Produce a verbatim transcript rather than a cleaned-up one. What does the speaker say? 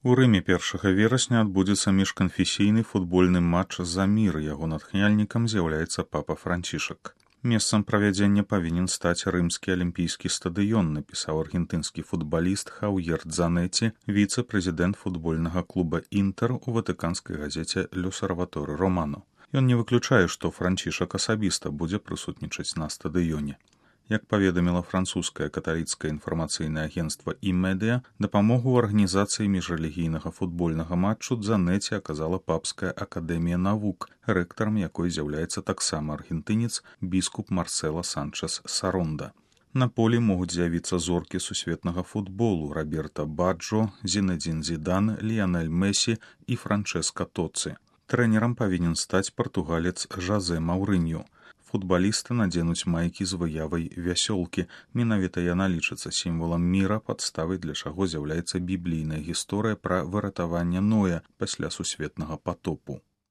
У Рыме першага верасня адбудзецца міжканфесійны футбольны матч за мір. Яго натхняльнікам з'яўляецца папа Францішак. Месцам правядзення павінен стаць рымскі алімпійскі стадыён, напісаў аргентынскі футбаліст Хаўер Дзанеці, віцэ-прэзідэнт футбольнага клуба «Інтэр» у ватыканскай газеце «L'Osservatore Romano». Ён не выключае, што Францішак асабіста будзе прысутнічаць на стадыёне. Як паведаміла французскае каталіцкае інфармацыйнае агенцтва «І-медыя», дапамогу ў арганізацыі міжрэлігійнага футбольнага матчу Дзанеці аказала Папская акадэмія навук, рэктарам якой з'яўляецца таксама аргентынец біскуп Марсела Санчес Саронда. На полі могуць з'явіцца зоркі сусветнага футболу Роберта Баджо, Зінедзін Зідан, Ліянель Месі і Франческа Тоци. Трэнерам павінен стаць партугалец Жозе Маурыньо. Футбалісты надзенуць майкі з выявай вясёлкі. Менавіта яна лічыцца сімвалам міра, падставай для чаго з'яўляецца біблійная гісторыя пра выратаванне Ноя пасля сусветнага патопу.